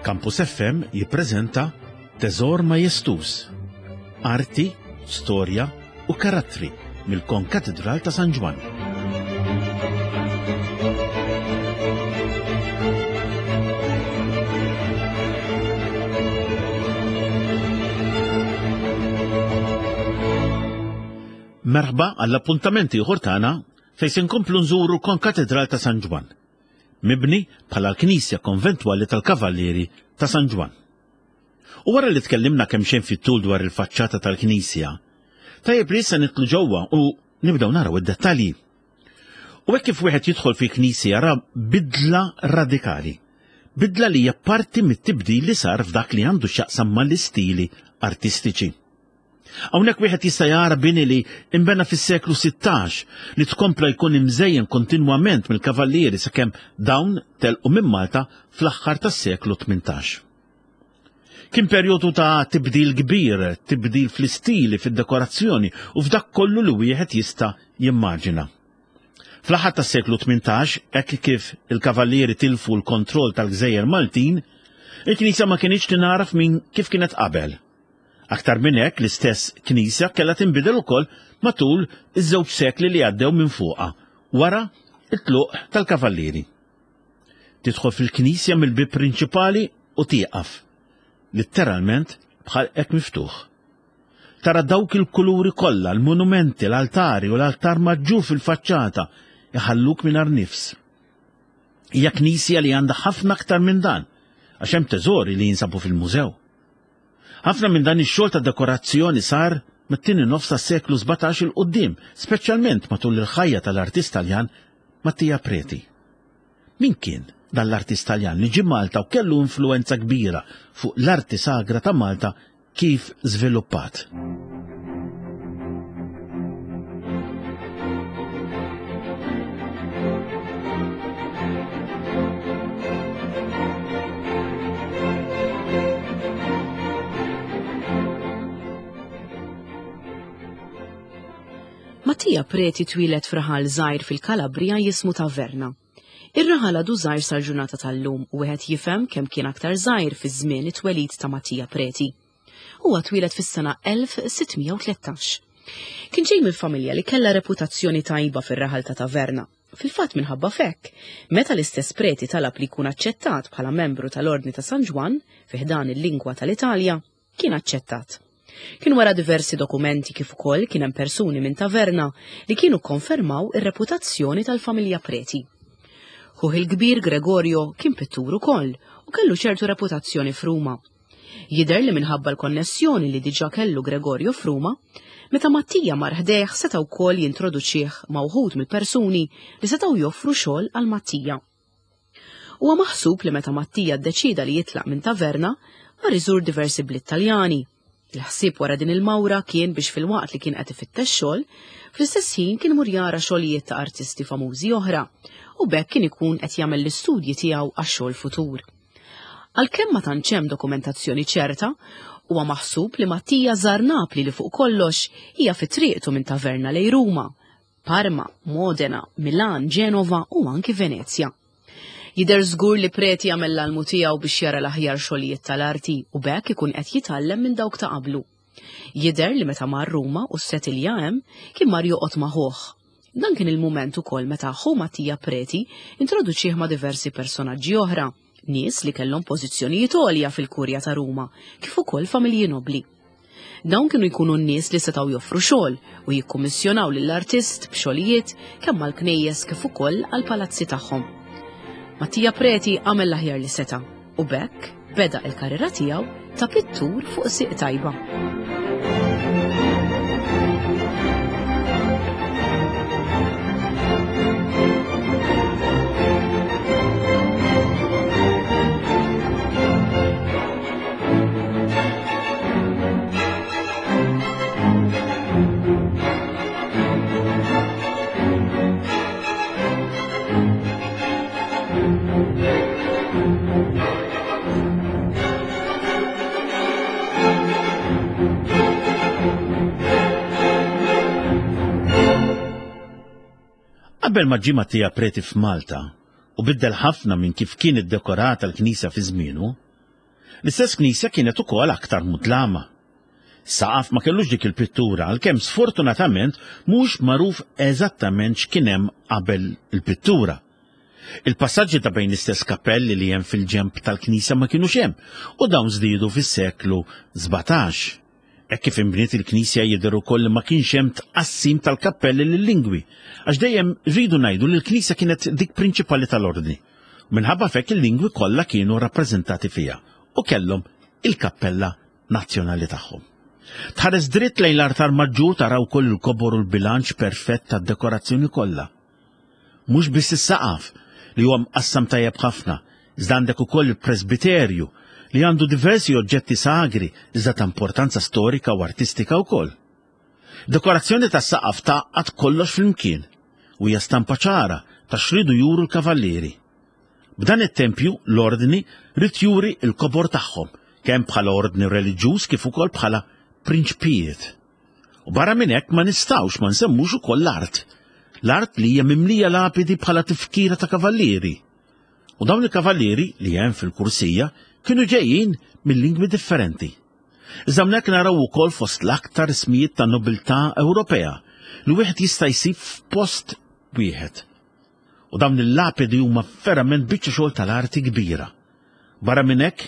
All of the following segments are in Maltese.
Campus FM jippreżenta Teżor Majestuż, Arti, Storja u Karattri mill-Konkatidral ta' San Ġwann. Merħba għall-appuntament ieħor tagħna fejn se nkomplu nżuru l-Konkatidral ta' San Ġwann, mibni bħala l-knisja konventwali tal-Kavallieri ta' San Ġwann. U wara li tkellimna kemm xejn fit-tul dwar il-faċċata tal-knisja, tajjeb li issa nidħlu ġewwa u nibdew naraw id-dettalji. U hekk kif wieħed jidħol fi knisja jara bidla radikali. Bidla li hija parti mit-tibdil li sar f'dak li għandu x'jaqsam mal-istili artistiċi. Hawnhekk wieħed jista' jara bini li imbena fis-seklu 16 li tkompla jkun imżejjen kontinwament mill-kavallieri sakemm dawn telqu minn Malta fl-aħħar tas-seklu 18. Kien perjodu ta' tibdil kbir, tibdil fl-istili, fid-dekorazzjoni u f'dak kollu li wieħed jista' jimmaġina. Fl-aħħar tas-seklu 18, hekk kif il-kavallieri tilfu l-kontroll tal-gżejjer Maltin, il-knisja ma kinitx tingħaraf minn kif kienet qabel. Aktar minn hekk, l-istess knisja kellha tinbidel ukoll matul iż-żewġ sekli li għaddew minn fuqha wara t-tluq tal-kavallieri. Tidħol fil-knisja mill-bieb prinċipali u tieqaf, litteralment b'ħalqek miftuħ. Tara dawk il-kuluri kollha, l-monumenti, l-altari u l-altar maġġur fil-faċċata iħalluk mingħajr nifs. Hija knisja li għandha ħafna aktar minn dan, għax hemm teżori li jinsabu fil-mużew. Ħafna minn dan ix-xogħol ta' dekorazzjoni sar mit-tieni nofs tas-seklu 17 'il quddiem, speċjalment matul il-ħajja tal-artist Taljan Mattia Preti. Min kien dan l-artist Taljan li ġie Malta u kellu influwenza kbira fuq l-arti sagra ta' Malta kif żviluppat? Mattia Preti twieled f'raħal żgħir fil-Kalabrija jismu Taverna. Ir-raħal għadu żgħir sal-ġurnata tal-lum u wieħed jifhem kemm kien aktar żgħir fi żmien it-twelid ta' Mattia Preti. Huwa twieled fis-sena 1613. Kien ġej minn familja li kellha reputazzjoni tajba fir-raħal ta' Taverna. Fil-fatt minħabba f'hekk, meta l-istess Preti talab li jkun aċċettat bħala membru tal-Ordni ta' San Ġwann fi ħdan il-lingwa tal-Italja, kien aċċettat. Kien wara diversi dokumenti kif ukoll kien hemm persuni minn Taverna li kienu kkonfermaw ir-reputazzjoni tal-familja Preti. Ħuh il-kbir Gregorio kien pittur ukoll u kellu ċertu reputazzjoni f'Ruma. Jidher li minħabba l-konnessjoni li diġà kellu Gregorio f'Ruma, meta Mattia mar ħdejh seta' wkoll jintroduċih ma' wħud mill-persuni li setgħu joffru xogħol għal Mattia. Huwa maħsub li meta Mattia ddeċieda li jitlaq minn Taverna, mar iżur diversi bliet Taljani. Il-ħsieb wara din il-mawra kien biex filwaqt li kien qed ifittex xogħol, fl-istess ħin kien imur jara xogħlijiet ta' artisti famużi oħra u b'hekk kien ikun qed jagħmel l-istudji tiegħu għax-xogħol futur. Għalkemm ma tantx hemm dokumentazzjoni ċerta, huwa maħsub li Mattia żar Napli li fuq kollox hija fi triqtu minn Taverna lejn Ruma, Parma, Modena, Milan, Ġenova u anki Venezja. Jidher żgur li Preti għamel l-almu tiegħu biex jara l-aħjar xogħlijiet tal-arti u b'hekk ikun qed jitgħallem minn dawk ta' qablu. Jidher li meta mar Ruma u ssetilja hemm, kien mar joqgħod ma' ħuh. Dan kien il-mument ukoll meta ħu Mattia Preti introduċih ma' diversi personaġġi oħra, nies li kellhom pożizzjonijiet għolja fil-Kurja ta' Ruma, kif ukoll familji nobbli. Dawn kienu jkunu n-nies li setgħu joffru xogħol u jikkummissjonaw lill-artist b'xogħlijiet kemm għall-knejjes kif ukoll għall-palazzi tagħhom. Mattia Preti għamel l-aħjar li seta' u b'hekk beda l-karriera tiegħu ta' pittur fuq sieq tajba. Qabel ma ġie Mattia Preti f'Malta u biddel ħafna minn kif kien iddekorata l-knisja fi żmienu, L-istess knisja kienet ukoll aktar mudlama. Saqaf ma kellux dik il-pittura għalkemm sfortunatament mhux magħruf eżattament x'kien hemm qabel il-pittura. Il-passaġġi ta' bejn l-istess kappelli li hemm fil-ġenb tal-knisja ma kinux hemm u dawn żdiedu fis-seklu 17. Hekk kif inbniet il-knisja jidher ukoll li ma kienx hemm tqassim tal-kappelli lil-lingwi, għax dejjem rridu ngħidu li l-knisja kienet dik prinċipali tal-ordni. Minħabba f'hekk il-lingwi kollha kienu rappreżentati fiha u kellhom il-kappella nazzjonali tagħhom. Tħares dritt lejn l-artar maġġur tara wkoll il-kobor u l-bilanċ perfett tad-dekorazzjoni kollha. Mhux biss is-saqaf, li huwa mqassam tajjeb ħafna, iżda għandek ukoll il-presbiterju, li għandu diversi oġġetti sagri iżda ta' importanza storika u artistika wkoll. Dekorazzjoni tas-saqaf tgħaqqad kollox flimkien u hija stampa ċara ta' x'riedu juru l-kavallieri. B'dan it-tempju l-ordni ried juri l-kobor tagħhom, kemm bħala ordni reliġjuż kif ukoll bħala prinċpijiet. U barra minn hekk ma nistgħux ma nsemmux ukoll l-art. L-art li hija mimlija lapidi bħala tifkira ta' kavallieri. U dawn il-kavallieri li hemm fil-kursija kienu ġejjin minn lingwi differenti. Iżda hawnhekk naraw ukoll fost l-aktar ismijiet ta' nobiltà Ewropea li wieħed jista' jsib f'post wieħed. U dawn il-lapidi huma verament biċċa xogħol tal-arti kbira. Barra minn hekk,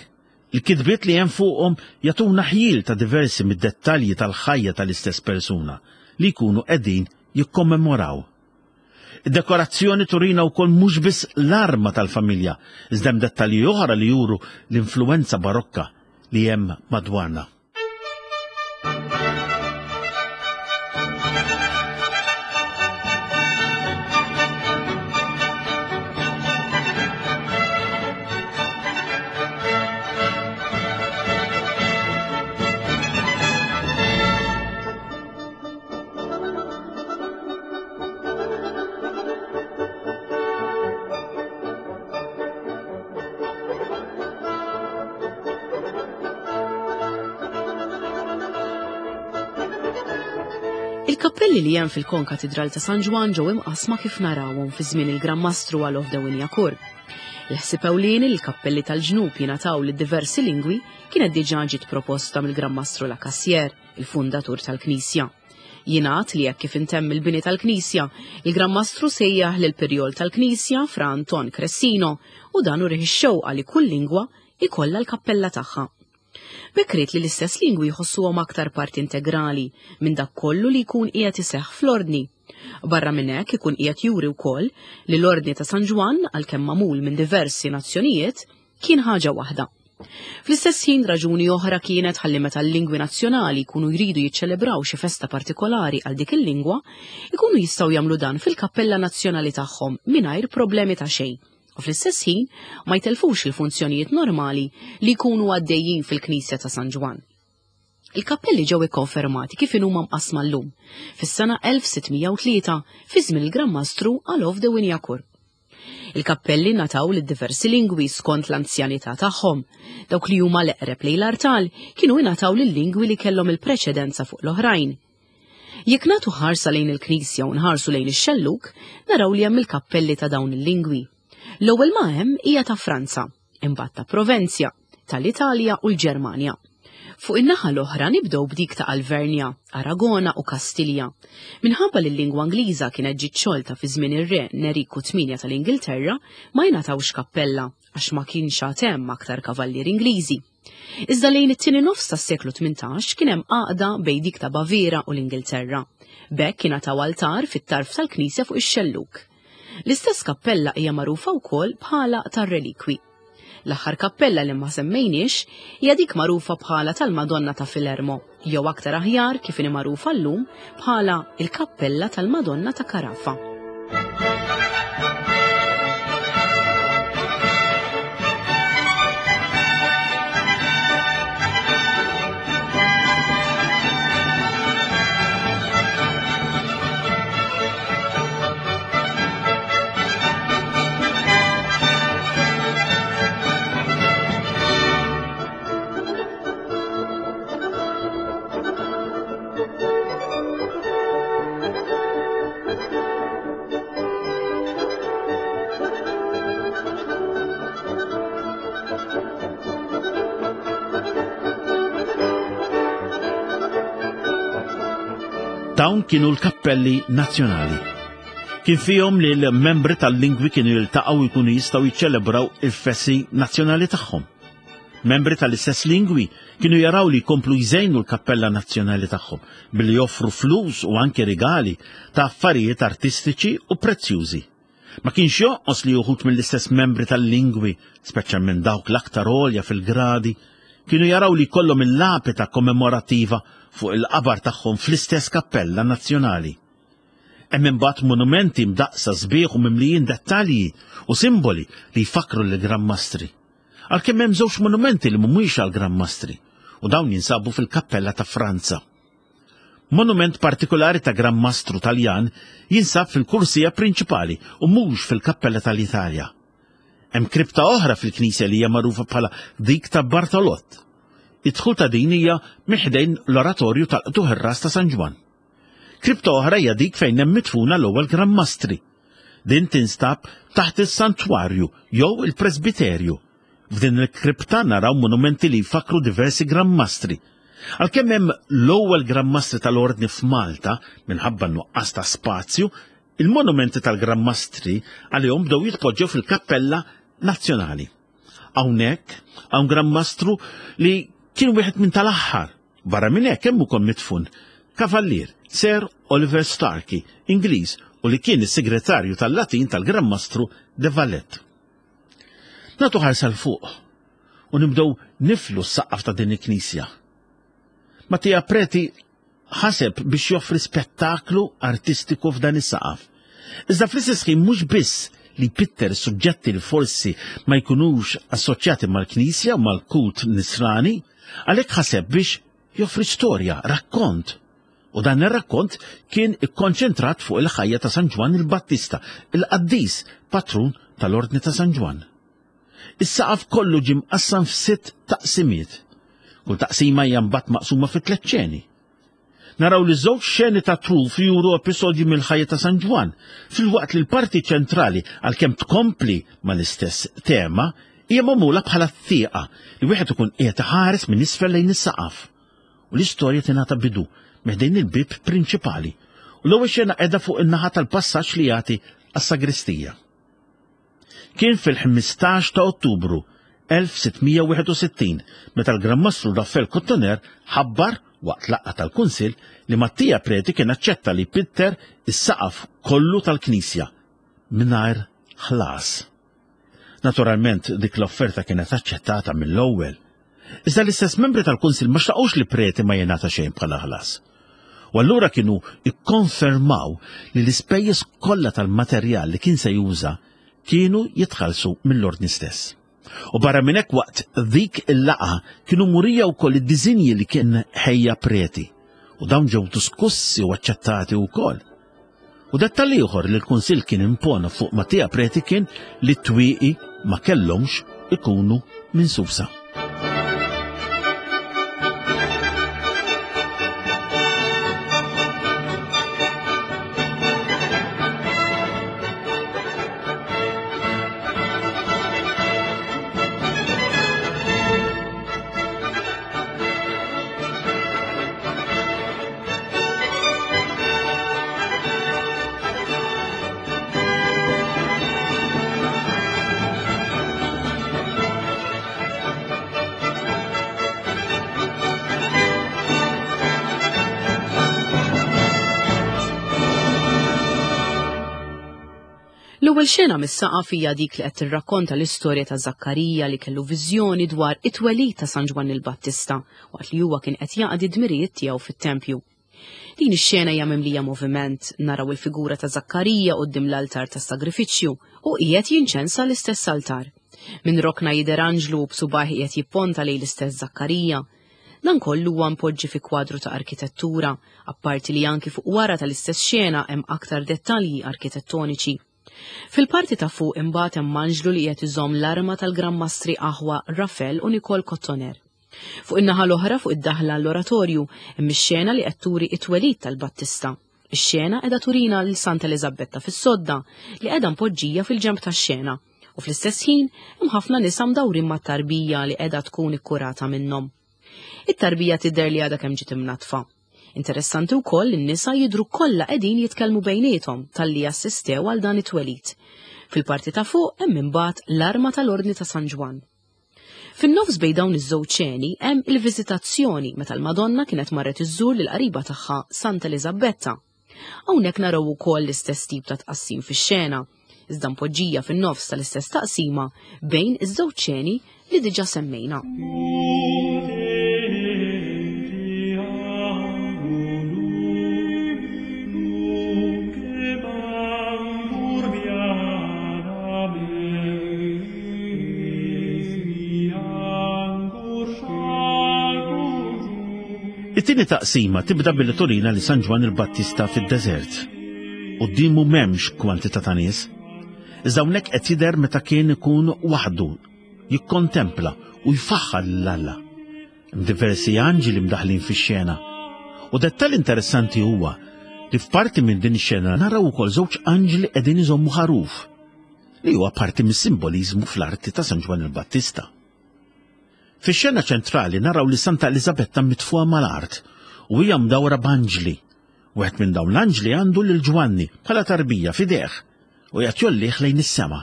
il-kitbiet li hemm fuqhom jagħtuna ħjiel ta' diversi mid-dettalji tal-ħajja tal-istess persuna li jkunu qegħdin jikkommemoraw. Id-dekorazzjoni turina wkoll mhux biss l-arma tal-familja, iżda hemm dettalji oħra li juru l-influwenza barokka li hemm madwarna. Il-kappelli li hemm fil-Konkatidral ta' San Ġwann ġew imqassma kif narawhom fi żmien il-Gran Mastru Alof de Wignacourt. Il-ħsieb ewlieni li l-kappelli tal-ġnub jingħataw lid diversi lingwi kienet diġà ġiet proposta mill-Gran Mastru La Cassière, il-fundatur tal-Knisja. Jingħad li hekk kif intemm il-bini tal-knisja, il-Gran Mastru sejjaħ lil pirjol tal-knisja Fra Anton Cressino u dan urih ix-xewqa li kull lingwa ikollha l-kappella tagħha. B'hekk ried li l-istess lingwi jħossuhom aktar parti integrali minn dak kollu li jkun qiegħed iseħħ fl-ordni. Barra minn hekk ikun qiegħed juri wkoll li l-Ordni ta' San Ġwann għalkemm magħmul minn diversi nazzjonijiet kien ħaġa waħda. Fl-istess ħin raġuni oħra kienet ħalli meta l-lingwi nazzjonali jkunu jridu jiċċelebraw xi festa partikolari għal dik il-lingwa, ikunu jistgħu jagħmlu dan fil-kappella nazzjonali tagħhom mingħajr problemi ta' xejn. U fl-istess ħin ma jtelfux il-funzjonijiet normali li jkunu għaddejjin fil-Knisja ta' San Ġwann. Il-kappelli ġew ikkonfermati kif inhuma mqassma llum, fis-sena 1603 fi żmien il-Gran Mastru Alof de Wignacourt. Il-kappelli ngħataw lid diversi lingwi skont l-anzjanità tagħhom. Dawk li huma l-eqreb lejn l-artal kienu ingħataw lil lingwi li kellhom il-preċedenza fuq l-oħrajn. Jekk nagħtu ħarsa lejn il-knisja u nħarsu lejn ix-xellug, naraw li hemm il-kappelli ta' dawn il-lingwi. L-ewwel ma hemm hija ta' Franza, imbagħad ta' Provenzja, tal-Italja u l-Ġermanja. Fuq in-naħa l-oħra nibdew b'dik ta' Alvernja, Aragona u Kastilja. Minħabba li l-lingwa Ingliża kienet ġiet xolta fi żmien ir-re Neriku VIII tal-Ingilterra, ma jingħatawx kappella għax ma kienx għad hemm aktar kavallieri Ingliżi. Iżda lejn it-tieni nofs tas-seklu 18 kien hemm għaqda bejn dik ta' Baviera u l-Ingilterra. B'hekk ingħataw altar fit-tarf tal-knisja fuq ix-xellug. L-istess kappella hija magħrufa wkoll bħala tar-relikwi. L-aħħar kappella li ma semmejniex hija dik magħrufa bħala tal-Madonna ta' Filermo, jew aktar aħjar kif inhi magħrufa llum bħala il-Kappella tal-Madonna ta' Carafa. Dawn kienu l-kappelli nazzjonali. Kien fihom li l-membri tal-lingwi kienu jiltaqgħu jkunu jistgħu jiċċelebraw il-festi nazzjonali tagħhom. Membri tal-istess lingwi kienu jaraw li jkomplu jżejnu l-kappella nazzjonali tagħhom billi joffru flus u anke rigali ta' affarijiet artistiċi u prezzjużi. Ma kienx jonqos li uħud mill-istess membri tal-lingwi, speċjalment dawk l-aktar għolja fil-gradi, kienu jaraw li jkollhom il-lapita kommemorattiva fuq il-qabar tagħhom fl-istess kappella nazzjonali. Hemm imbagħad monumenti mdaqqsa sbieħ u mimlijin dettalji u simboli li jfakkru lill-Gran Mastri. Għalkemm hemm żewġ monumenti li mhumiex għall-Gran Mastri u dawn jinsabu fil-Kappella ta' Franza. Monument partikolari ta' Gran Mastru Taljan jinsab fil-kursija prinċipali u mhux fil-Kappella tal-Italja. Hemm kripta oħra fil-knisja li hija magħrufa bħala dik ta' Bartolott. Id-dħul ta' din hija minn ħdejn l-oratorju tal-Qtugħ ir-Ras ta' San Ġwann. Kripta oħra hija dik fejn hemm midfuna l-ewwel Gran Mastri. Din tinstab taħt is-santwarju jew il-presbiterju. F'din il-kripta naraw monumenti li jfakkru diversi Gran Mastri. Għalkemm hemm l-ewwel Gran Mastri tal-Ordni f'Malta, minħabba n-nuqqas ta' spazju, il-monumenti tal-Gran Mastri għalihom bdew jitpoġġew fil-Kappella Nazzjonali. Hawnhekk hawn Gran Mastru li kien wieħed minn tal-aħħar. Barra minn hekk hemm ukoll midfun Kavallier Sir Oliver Starkey, Ingliż u li kien is-segretarju tal-Latin tal-Gran Mastru de Valette. Nagħtu ħarsa 'l fuq u nibdew niflu s-saqaf ta' din il-knisja. Mattia Preti ħaseb biex joffri spettaklu artistiku f'dan is-saqaf. Iżda fl-istess ħin mhux biss li jpitter suġġetti li forsi ma jkunux assoċjati mal-Knisja u mal-kult nisrani, għalhekk ħaseb biex joffri storja, rakkont. U dan ir-rakkont kien ikkonċentrat fuq il-ħajja ta' San Ġwann il-Battista, il-qaddis patrun tal-Ordni ta' San Ġwann. Is-saqaf kollu ġie mqassam f'sitt taqsimiet. Kull taqsima hija mbagħad maqsuma fi tliet xeni. Naraw li żewġ xeni ta' truf juru episodji mill-ħajja ta' San Ġwann, filwaqt li l-parti ċentrali għalkemm tkompli mal-istess tema, hija magħmula bħala tieqa li wieħed ikun qiegħed iħares minn isfel lejn is-saqaf. U l-istorja tingħata bidu minn ħdejn il-bieb prinċipali u l-ewwel xena qiegħda fuq in-naħa tal-passaġġ li jagħti għas-sagristija. Kien fil-15 ta' Ottubru 1661 meta l-Gran Mastru Raffael Cotoner ħabbar waqt laqgħa tal-Kunsill li Mattia Preti kien aċċetta li jpitter is-saqaf kollu tal-knisja mingħajr ħlas. Naturalment dik l-offerta kienet aċċettata mill-ewwel. Iżda l-istess membri tal-Kunsill ma xtaqux li Preti ma jingħata xejn bħala ħlas. U allura kienu ikkonfermaw li l-ispejjeż kollha tal-materjal li kien se juża kienu jitħallsu mill-ordni stess. U barra minn hekk waqt dik il-laqgħa kienu murija wkoll id-diżinji li kien ħejja Preti u dawn ġew diskussi u aċċettati wkoll. U dettall ieħor li l-Kunsill kien impona fuq Mattia Preti kien li t-twieqi ma kellhomx ikunu minsusa. L-ewwel xena mis-saqaf hija dik li qed tirrakkonta l-istorja ta' Zakkarija li kellu viżjoni dwar it-twelid ta' San Ġwann il-Battista waqt li huwa kien qed jaqdi d-dmirijiet tiegħu fit-tempju. Din ix-xena hija mimlija moviment, naraw il-figura ta' Zakkarija quddiem l-altar tas-sagrifiċċju u qiegħed jinċensa l-istess altar. Minn rokna jidher anġlu u b'subgħajh qiegħed jipponta lejn l-istess Zakkarija. Dan kollu huwa mpoġġi fi kwadru ta' arkitettura, apparti li anki fuq wara tal-istess xena hemm aktar dettalji arkitettoniċi. Fil-parti ta' fuq imbagħad hemm anġlu li qiegħed iżomm l-arma tal-Gran Mastri aħwa Rafel u Nicole Cotoner. Fuq in-naħa l-oħra fuq id-daħla għall-oratorju hemm ix-xena li qed turi t-twelid tal-Battista. Ix-xena qiegħda turina lil Santa Eliżabetta fis-sodda li qiegħda mpoġġija fil-ġenb tax-xena u fl-istess ħin hemm ħafna nisa mdawrin mat-tarbija li qiegħda tkun ikkurata minnhom. It-tarbija tidher li għadha kemm ġiet imnaddfa. Interessanti wkoll li n-nisa jidhru kollha qegħdin jitkellmu bejniethom talli assistew għal dan it-twelid. Fil-parti ta' fuq hemm imbagħad l-arma tal-Ordni ta' San Ġwann. Fin-nofs bejn dawn iż-żewġ xeni hemm il-viżitazzjoni meta l-Madonna kienet marret iżżur lil qariba tagħha Santa Eliżabetta. Hawnhekk naraw ukoll l-istess tip ta' tqassim fix-xena, iżda mpoġġija fin-nofs tal-istess taqsima bejn iż-żewġ xeni li diġà semmejna. It-tieni taqsima tibda billi turina li San Ġwann il-Battista fid-deżert. Quddiemu m'hemmx kwantità ta' nies. Iżda hawnhekk qed jidher meta kien ikun waħdu, jikkontempla u jfaħħar lil Alla. Hemm diversi anġli mdaħlin fix-xena. U dettall interessanti huwa li f'parti minn din ix-xena naraw ukoll żewġ anġli qegħdin iżommu ħaruf, li huwa parti mis-simboliżmu fl-arti ta' San Ġwann il-Battista. Fix-xena ċentrali naraw li Santa Eliżabetta mitfuha mal-art u hija mdawra b'anġli. Wieħed minn dawn l-anġli għandu lil Ġwanni bħala tarbija f'idejh u qiegħed jgħollih lejn is-sema.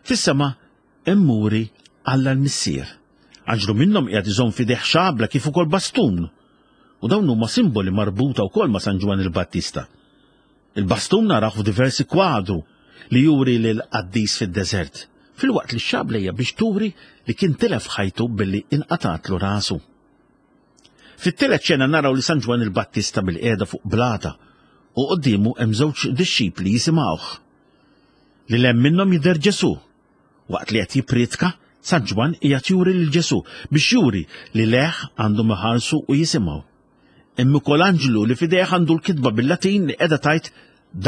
Fis-sema hemm muri Alla l-Missier. Anġlu minnhom qiegħed iżomm f'idejh xabla kif ukoll bastun. U dawn huma simboli marbuta wkoll ma' San Ġwann il-Battista. Il-bastun narawh f'diversi kwadru li juri lil qaddis fid-deżert, filwaqt li x-xabla hija biex turi li kien tilef ħajtu billi inqatgħatlu rasu. Fit-tielet xena naraw li San Ġwann il-Battista bil-qiegħda fuq blata u quddiemu hemm żewġ dixxipli jisimgħuh. Lil hemm minnhom jidher Ġesù. Waqt li qed jippriedka, San Ġwann qiegħed juri lil Ġesù biex juri li lejh għandhom iħarsu u jisimgħu. Hemm ukoll anġlu li f'idejh għandu l-kitba bil-Latin li qiegħda tgħid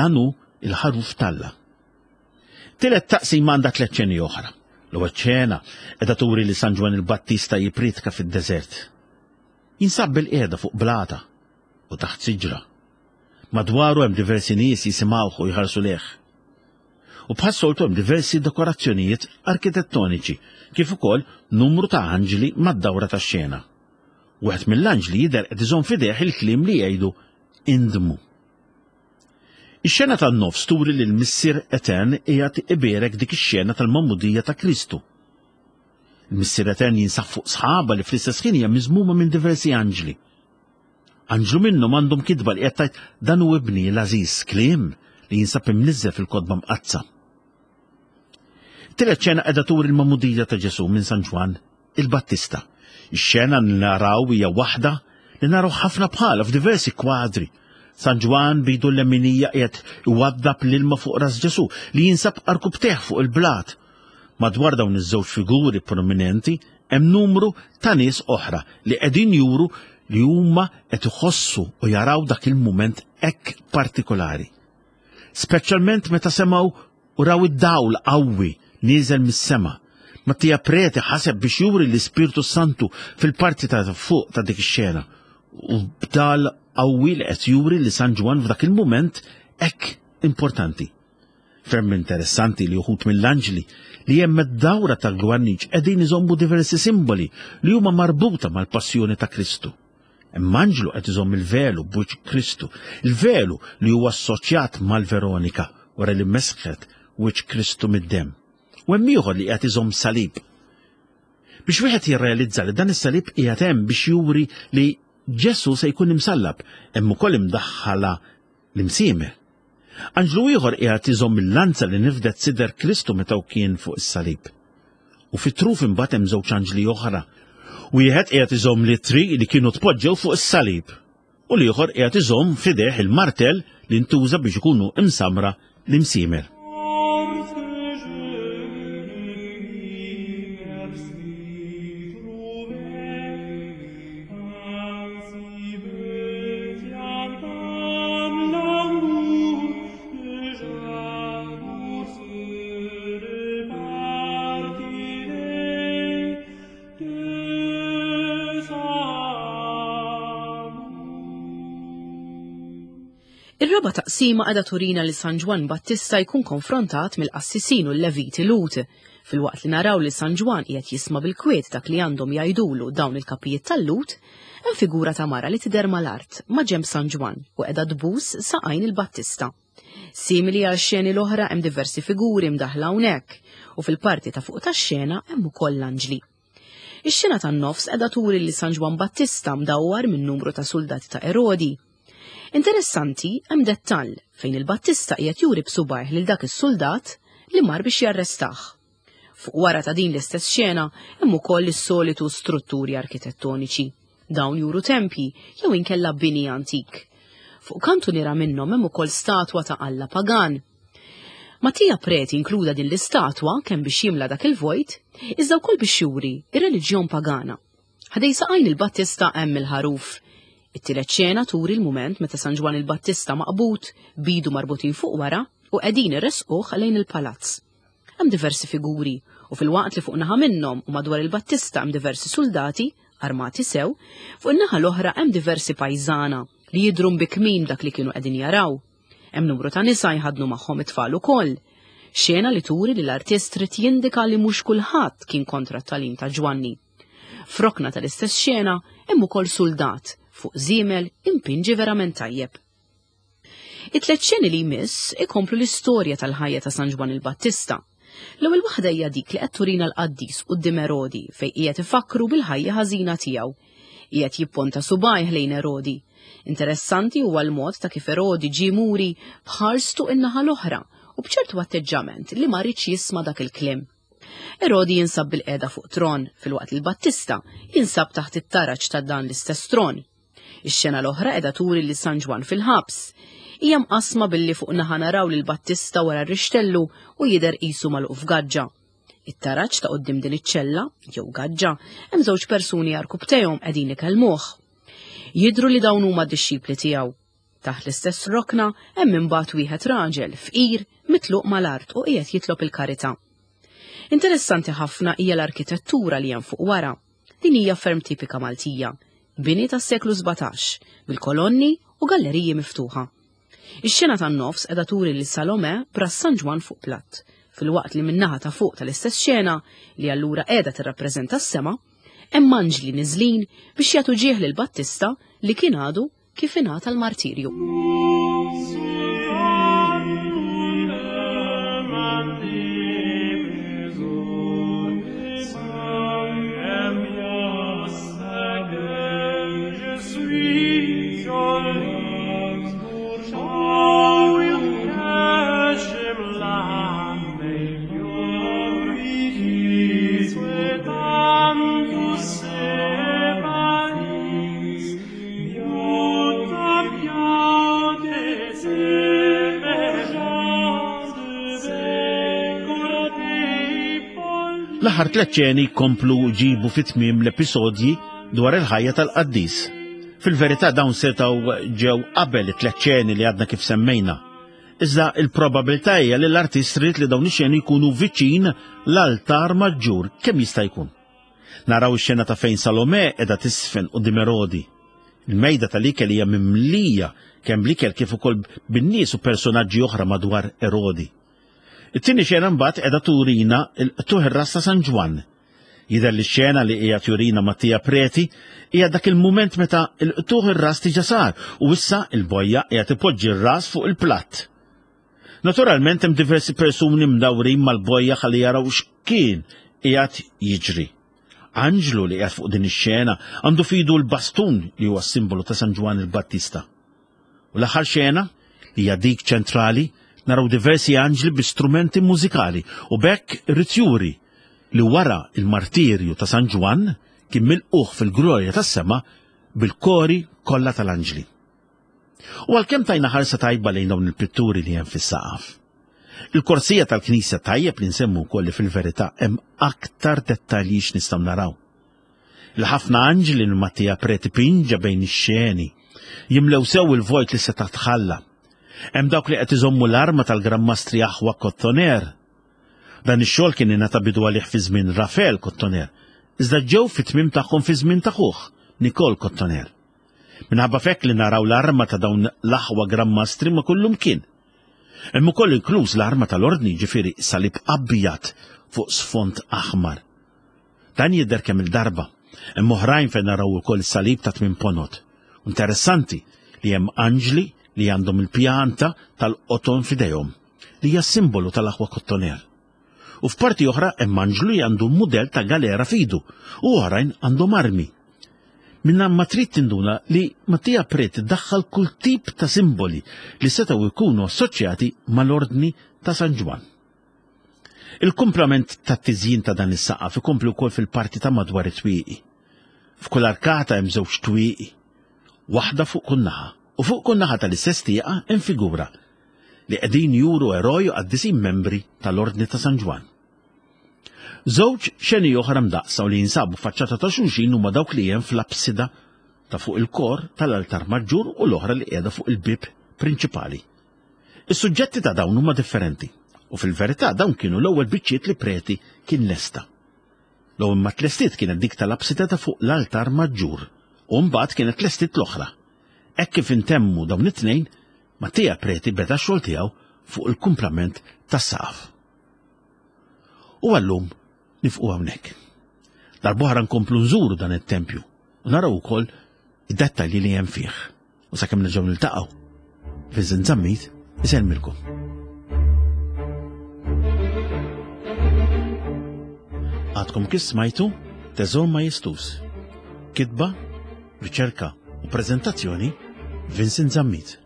dan hu l-ħaruf t'Alla. Tielet taqsima għandha tliet ċeni oħra. L-ewwel ċena qiegħda turi li San Ġwann il-Battista jippriedka fid-deżert. Jinsab bil-qiegħda fuq blata u taħt siġra. Madwaru hemm diversi nies jisimgħuh u jħarsu lejh. U bħas-soltu hemm diversi dekorazzjonijiet arkitettoniċi kif ukoll numru ta' anġli mad-dawra tax-xena. Wieħed mill-anġli jidher qed iżomm f'idejh il-kliem li jgħidu indmu. Ix-xena tan-nofs turi li l-Missier Etern qiegħed ibierek dik ix-xena tal-magħmudija ta' Kristu. Il-Missier Etern jinsab fuq sħaba li fl-istess ħin hija miżmuma minn diversi anġli. Anġlu minnhom għandhom kitba li qed tgħid dan hu ibni l-għażiż kliem li jinsab imniżżel fil-kotba mqaddsa. Tielet xena qiegħda turi l-magħmudija ta' Ġesù minn San Ġwann il-Battista. Ix-xena li naraw hija waħda li naraw ħafna bħalha f'diversi kwadri. San Ġwann bidu l-leminija qiegħed iwaddab l-ilma fuq ras Ġesù li jinsab arkubtejh fuq il-blat. Madwar dawn iż-żewġ figuri prominenti hemm numru ta' nies oħra li qegħdin juru li huma qed iħossu u jaraw dak il-mument hekk partikolari. Speċjalment meta semgħu u raw id-dawl qawwi nieżel mis-sema. Mattia Preti ħaseb biex juri l-Ispirtu Santu fil-parti ta' fuq ta' dik ix-xena u b'dal qawwi li qed juri li San Ġwann f'dak il-mument hekk importanti. Ferm interessanti li uħud mill-anġli li hemm id-dawra tal-gwarniċ qegħdin iżommu diversi simboli li huma marbuta mal-passjoni ta' Kristu. Hemm anġlu qed iżomm il-velu b'wiċċ Kristu, il-velu li huwa assoċjat mal-Veronika wara li mesħet wiċċ Kristu mid-demm. U hemm ieħor li qiegħed iżomm salib. Biex wieħed jirrealizza li dan is-salib qiegħed hemm biex juri li Ġesù se jkun imsallab, hemm ukoll imdaħħala l-imsiemer. Anġlu ieħor qiegħed iżomm il-lanza li nifdet sider Kristu meta hu kien fuq is-salib. U fit-truf imbagħad hemm żewġ anġli oħra. Wieħed qiegħed iżomm l-ittri li kienu tpoġġew fuq is-salib u l-ieħor qiegħed iżomm f'idejh il-martell li ntuża biex ikunu imsamra l-imsiemer. Ir-raba' taqsima qiegħda turina li San Ġwann Battista jkun konfrontat mill-qassisin u l-Leviti Lhud. Filwaqt li naraw li San Ġwann qiegħed jisma' bil-kwiet dak li għandhom jgħidulu dawn il-kapijiet tal-Lhud, hemm figura ta' mara li tidher mal-art, ma' ġenb San Ġwann u qiegħda tbus saqajn il-Battista. Simili għal xeni l-oħra hemm diversi figuri mdaħħla hawnhekk u fil-parti ta' fuq tax-xena hemm ukoll l-anġli. Ix-xena tan-nofs qiegħda turi li San Ġwann Battista mdawwar minn numru ta' suldati ta' Erodi. Interessanti hemm dettall fejn il-Battista qiegħed juri b'subajh lil dak is-suldat li mar biex jarrestah. Fuq wara ta' din l-istess xena hemm ukoll is-solitu strutturi arkitettoniċi. Dawn juru tempji jew inkella bini antik. Fuq kantuniera minnhom hemm ukoll statwa ta' alla pagan. Mattia Preti inkluda din l-istatwa kemm biex jimla dak il-vojt, iżda wkoll biex juri ir-reliġjon pagana. Ħdej saqajn il-Battista hemm il-ħaruf. It-tielet xena turi l-mument meta San Ġwann il-Battista maqbud, bidu marbutin fuq wara u qegħdin iressquh lejn il-palazz. Hemm diversi figuri u filwaqt li fuq naħa minnhom u madwar il-Battista hemm diversi suldati armati sew, fuq in-naħa l-oħra hemm diversi pajżana li jidhru mbikmin b'dak li kienu qegħdin jaraw. Hemm numru ta' nisa jħaddnu magħhom it-tfal ukoll. Xena li turi li l-artist trid jindika li mhux kulħadd kien kontra t-tagħlim ta' Ġwanni. F'rokna tal-istess xena hemm ukoll suldat fuq żiemel impinġi verament tajjeb. It-tlet xeni li jmiss ikomplu l-istorja tal-ħajja ta' San Ġwann il-Battista. L-ewwel waħda hija dik li qed turina l-qaddis quddiem Erodi fejn qiegħed ifakkru bil-ħajja ħażina tiegħu. Qiegħed jipponta subgħajh lejn Erodi. Interessanti huwa l-mod ta' kif Erodi ġie muri b'ħarstu in-naħa l-oħra u b'ċertu atteġġament li ma riedx jisma' dak il-kliem. Erodi jinsab bil-qiegħda fuq tron filwaqt li l-Battista jinsab taħt it-taraġ ta' dan l-istess tron. Ix-xena l-oħra qiegħda turi lil San Ġwann fil-ħabs. Hija mqassma billi fuq naħa naraw lil Battista wara r-rixtellu u jidher qisu magħluq f'gaġġa. It-taraġ ta' quddiem din iċ-ċella, jew gaġġa, hemm żewġ persuni għarkubbtejhom qegħdin ikellmuh. Jidhru li dawn huma d-dixxipli tiegħu. Taħt l-istess rokna hemm imbagħad wieħed raġel fqir mitluq mal-art u qiegħed jitlob il-karità. Interessanti ħafna hija l-arkitettura li hemm fuq wara. Din hija ferm tipika Maltija, bini tas-seklu 17, bil-kolonni u galleriji miftuħa. Ix-xena tan-nofs qiegħda turi lil Salome b'ras San Ġwann fuq platt, filwaqt li min-naħa ta' fuq tal-istess xena, li allura qiegħda tirrappreżenta s-sema, hemm anġli niżlin biex jagħtu ġieħ lil Battista li kien għadu kif ingħata l-martirju. L-aħħar tliet ċeni jkomplu ġibu fi tmiem l-episodji dwar il-ħajja tal-qaddis. Fil-verità dawn setgħu ġew qabel it-tliet ċeni li għadna kif semmejna. Iżda il-probabilità hija li l-artist ried li dawn ix-xeni jkunu viċin l-altar maġġur kemm jista' jkun. Naraw ix-xena ta' fejn Salome qiegħda tisfen quddiem Erodi. Il-mejda tal-ikel hija mimlija kemm bl-ikel kif ukoll bin-nies u personaġġi oħra madwar Erodi. It-tieni xena mbagħad qiegħda turina l-qtugħ ir-ras ta' San Ġwann. Jidher li x-xena li qiegħed jurina Mattia Preti hija dak il-mument meta l-qtugħ ir-ras diġà sar u issa l-bojja qiegħed ipoġġi r-ras fuq il-platt. Naturalment hemm diversi persuni mdawrin mal-bojja ħalli jaraw x'kien qiegħed jiġri. Anġlu li qiegħed fuq din ix-xena għandu f'idu l-bastun li huwa s-simbolu ta' San Ġwann il-Battista. U l-aħħar xena, li hija dik ċentrali, naraw diversi anġli bi strumenti mużikali u b'hekk irid juri li wara il-martirju ta' San Ġwann kien milqugħ fil-glorja tas-sema bil-kori kollha tal-anġli. U għalkemm tajna ħarsa tajba lejn dawn il-pitturi li hemm fis-saqaf, il-korsija tal-knisja tajjeb li nsemmu wkoll li fil-verità hemm aktar dettalji x'nistgħu naraw. Il-ħafna anġli li Mattia Preti pinġa bejn ix-xeni jimlew sew il-vojt li seta' tħalla. Hemm dawk li qed iżommu l-arma tal-Gran Mastri Aħwa Kottoner. Dan ix-xogħol kien ingħata bidu għalih fi żmien Rafael Kottoner, iżda ġew fit-tmiem tagħhom fi żmien ta' ħuh, Nicole Kottoner. Minħabba f'hekk li naraw l-arma ta' dawn l-aħwa Gran Mastri ma' kullumkien. Hemm ukoll inkluż l-arma tal-Ordni, jiġifieri salib abjad fuq sfond aħmar. Dan jidher kemm-il darba. Hemm oħrajn fejn naraw ukoll is-salib ta' tmien ponot. Interessanti li hemm anġli li għandhom il-pjanta tal-qoton f'idejhom, li hija simbolu tal-aħwa Kottoner. U f'parti oħra hemm anġlu li għandu mudell ta' galera f'idu u oħrajn għandhom armi. Minna ma trid tinduna li Mattia Preti daħħal kull tip ta' simboli li setgħu jkunu assoċjati mal-Ordni ta' San Ġwann. Il-kumplament tat-tiżjin ta' dan is-saqaf ikompli wkoll fil-parti ta' madwar it-twieqi. F'kull arkata hemm żewġ twieqi, waħda fuq kull naħa, u fuq kull naħa tal-istess tieqa hemm figura li qegħdin juru eroj u qaddisin membri tal-Ordni ta' San Ġwann. Żewġ xeni oħra mdaqqsa u li jinsabu faċċata ta' xulxin huma dawk li hemm fl-apsida ta' fuq il-kor tal-altar maġġur u l-oħra li qiegħda fuq il-bieb prinċipali. Is-suġġetti ta' dawn huma differenti u fil-verità dawn kienu l-ewwel biċċiet li Preti kien lesta. L-ewwel ma tlestiet kienet dik tal-apsida ta' fuq l-altar maġġur u mbagħad kienet tlestiet l-oħra. Hekk kif intemmu dawn it-tnejn, Mattia Preti beda x-xogħol tiegħu fuq il-kumplament tas-saqaf. U għallum nifqu hawnhekk. Darb'oħra nkomplu nżuru dan it-tempju u naraw ukoll id-dettalji li hemm fih. U sakemm nerġgħu niltaqgħu, Vincent Zammit isellmilkom. Għadkom kif smajtu Teżor Majestus. Kitba, riċerka u prezentazzjoni Vincent Zammit.